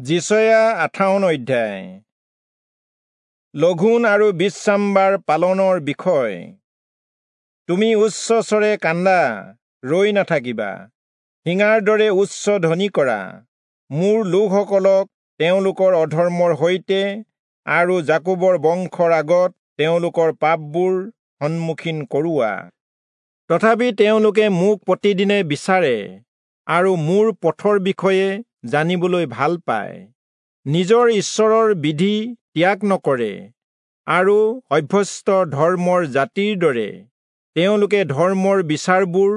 যিচয়া 58 অধ্যায়। লঘোণ আৰু বিশ্ৰামবাৰ পালনৰ বিষয়। তুমি উচ্চস্বৰে কান্দা, ৰৈ নাথাকিবা, শিঙাৰ দৰে উচ্চ ধ্বনি কৰা। মোৰ লোকসকলক তেওঁলোকৰ অধৰ্মৰ সৈতে আৰু যাকোবৰ বংশৰ আগত তেওঁলোকৰ পাপবোৰ সন্মুখীন কৰোৱা। তথাপি তেওঁলোকে মোক প্ৰতিদিনে বিচাৰে আৰু মোৰ পথৰ বিষয়ে জানিবলৈ ভাল পায়, নিজৰ ঈশ্বৰৰ বিধি ত্যাগ নকৰে আৰু অভ্যস্ত ধৰ্মৰ জাতিৰ দৰে তেওঁলোকে ধৰ্মৰ বিচাৰবোৰ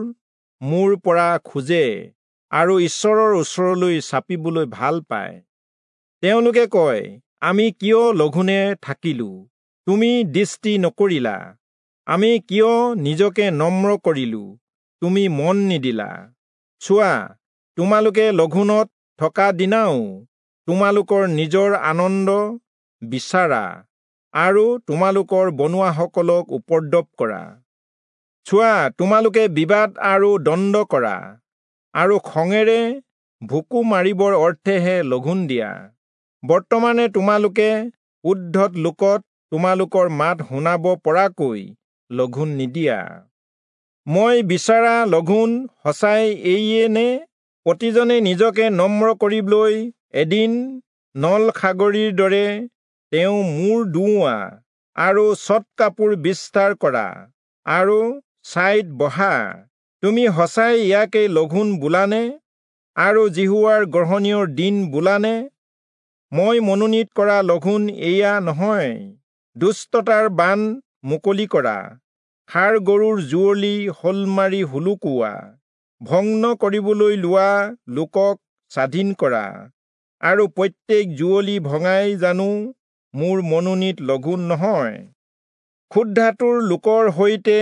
মোৰ পৰা খোজে আৰু ঈশ্বৰৰ ওচৰলৈ চাপিবলৈ ভাল পায়। তেওঁলোকে কয়, আমি কিয় লঘোণে থাকিলো, তুমি দৃষ্টি নকৰিলা? আমি কিয় নিজকে নম্ৰ কৰিলো, তুমি মন নিদিলা? চোৱা, তোমালোকে লঘোণত থকা দিনাও তোমালোকৰ নিজৰ আনন্দ বিচাৰা আৰু তোমালোকৰ বনোৱাসকলক উপদ্ৰৱ কৰা। চোৱা, তোমালোকে বিবাদ আৰু দণ্ড কৰা আৰু খঙেৰে ভুকু মাৰিবৰ অৰ্থেহে লঘোণ দিয়া। বৰ্তমানে তোমালোকে উদ্ধত লোকত তোমালোকৰ মাত শুনাব পৰাকৈ লঘোণ নিদিয়া। মই বিচাৰা লঘোণ সঁচাই এইয়ে নে? প্ৰতিজনে নিজকে নম্ৰ কৰিবলৈ এদিন নল খাগৰিৰ দৰে তেওঁ মূৰ দোওৱা আৰু চট কাপোৰ বিস্তাৰ কৰা আৰু ছাইত বহা। তুমি সঁচাই ইয়াকে লঘোণ বোলানে আৰু যিহোৱাৰ গ্ৰহণীয় দিন বোলানে? মই মনোনীত কৰা লঘোণ এয়া নহয়। দুষ্টতাৰ বান মুকলি কৰা, ষাঁড় গৰুৰ যুঁৱলি শ'লমাৰি হুলুকোৱা, ভগ্ন কৰিবলৈ লোৱা লোকক স্বাধীন কৰা আৰু প্ৰত্যেক যুঁৱলি ভঙাই জানো মোৰ মনোনীত লঘোণ নহয়? ক্ষুধাতুৰ লোকৰ সৈতে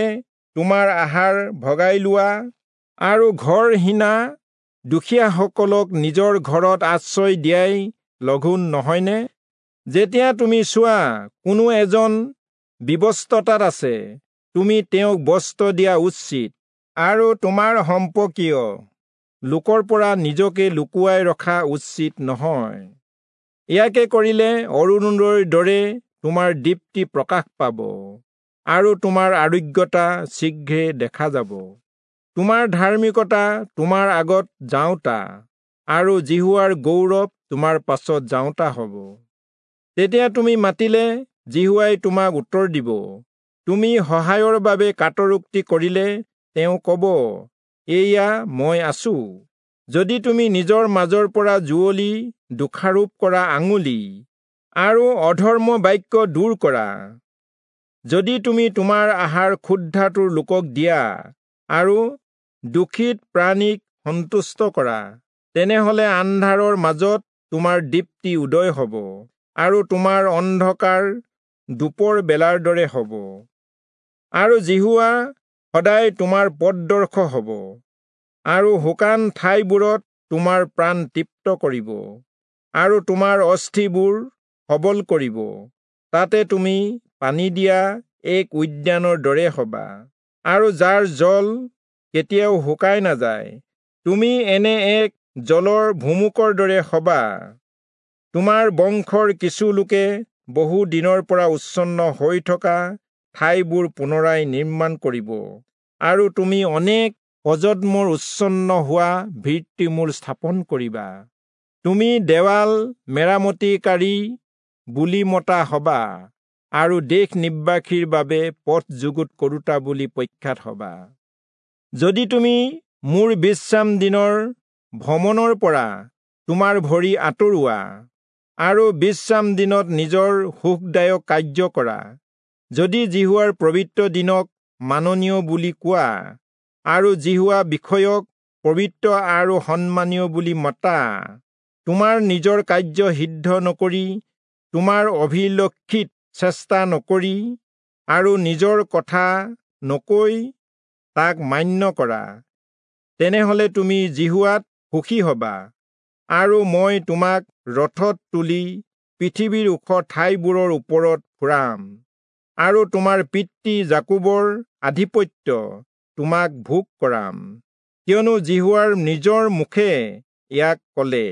তোমাৰ আহাৰ ভগাই লোৱা আৰু ঘৰহীনা দুখীয়াসকলক নিজৰ ঘৰত আশ্ৰয় দিয়াই লঘোণ নহয়নে? যেতিয়া তুমি চোৱা কোনো এজন বিৱস্ত্ৰতাত আছে, তুমি তেওঁক বস্ত্ৰ দিয়া উচিত আৰু তোমাৰ সম্পৰ্কীয় লোকৰ পৰা নিজকে লুকুৱাই ৰখা উচিত নহয়। ইয়াকে কৰিলে অৰুণোদয়ৰ দৰে তোমাৰ দীপ্তি প্ৰকাশ পাব আৰু তোমাৰ আৰোগ্যতা শীঘ্ৰে দেখা যাব। তোমাৰ ধাৰ্মিকতা তোমাৰ আগত যাওঁতা আৰু যিহোৱাৰ গৌৰৱ তোমাৰ পাছত যাওঁতা হ'ব। তেতিয়া তুমি মাতিলে যিহোৱাই তোমাক উত্তৰ দিব। তুমি সহায়ৰ বাবে কাতৰোক্তি কৰিলে তেওঁ ক'ব, এয়া মই আছো। যদি তুমি নিজৰ মাজৰ পৰা যুঁৱলি, দোষাৰোপ কৰা আঙুলি আৰু অধৰ্ম বাক্য দূৰ কৰা, যদি তুমি তোমাৰ আহাৰ ক্ষুধাতুৰ লোকক দিয়া আৰু দুখিত প্ৰাণীক সন্তুষ্ট কৰা, তেনেহলে আন্ধাৰৰ মাজত তোমাৰ দীপ্তি উদয় হ'ব আৰু তোমাৰ অন্ধকাৰ দুপৰ বেলাৰ দৰে হ'ব। আৰু যিহোৱা সদায় তোমাৰ পথদৰ্শ হ'ব আৰু শুকান ঠাইবোৰত তোমাৰ প্ৰাণ তৃপ্ত কৰিব আৰু তোমাৰ অস্থিবোৰ সবল কৰিব। তাতে তুমি পানী দিয়া এক উদ্যানৰ দৰে হবা আৰু যাৰ জল কেতিয়াও শুকাই নাযায়। তুমি এনে এক জলৰ ভুমুকৰ দৰে হবা। তোমাৰ বংশৰ কিছু লোকে বহু দিনৰ পৰা উচ্ছন্ন হৈ থকা ঠাইবোৰ পুনৰাই নিৰ্মাণ কৰিব আৰু তুমি অনেক প্ৰজন্মৰ উচ্ছন্ন হোৱা ভিত্তিমূল স্থাপন কৰিবা। তুমি দেৱাল মেৰামতিকাৰী বুলি মতা হবা আৰু দেশ নিবাসীৰ বাবে পথ যুগুত কৰোতা বুলি প্ৰখ্যাত হবা। যদি তুমি মোৰ বিশ্ৰাম দিনৰ ভ্ৰমণৰ পৰা তোমাৰ ভৰি আঁতৰোৱা আৰু বিশ্ৰাম দিনত নিজৰ সুখদায়ক কাৰ্য কৰা, যদি যিহোৱাৰ পবিত্ৰ দিনক মাননীয় বুলি কোৱা আৰু যিহোৱা বিষয়ক পবিত্ৰ আৰু সন্মানীয় বুলি মতা, তোমাৰ নিজৰ কাৰ্য সিদ্ধ নকৰি, তোমাৰ অভিলক্ষিত চেষ্টা নকৰি আৰু নিজৰ কথা নকৈ তাক মান্য কৰা, তেনেহলে তুমি যিহোৱাত সুখী হবা আৰু মই তোমাক ৰথত তুলি পৃথিৱীৰ ওখ ঠাইবোৰৰ ওপৰত ফুৰাম আৰু তোমাৰ পিতৃ যাকোবৰ আধিপত্য তোমাক ভোগ কৰাম, কিয়নো যিহোৱাৰ নিজৰ মুখে ইয়াক ক'লে।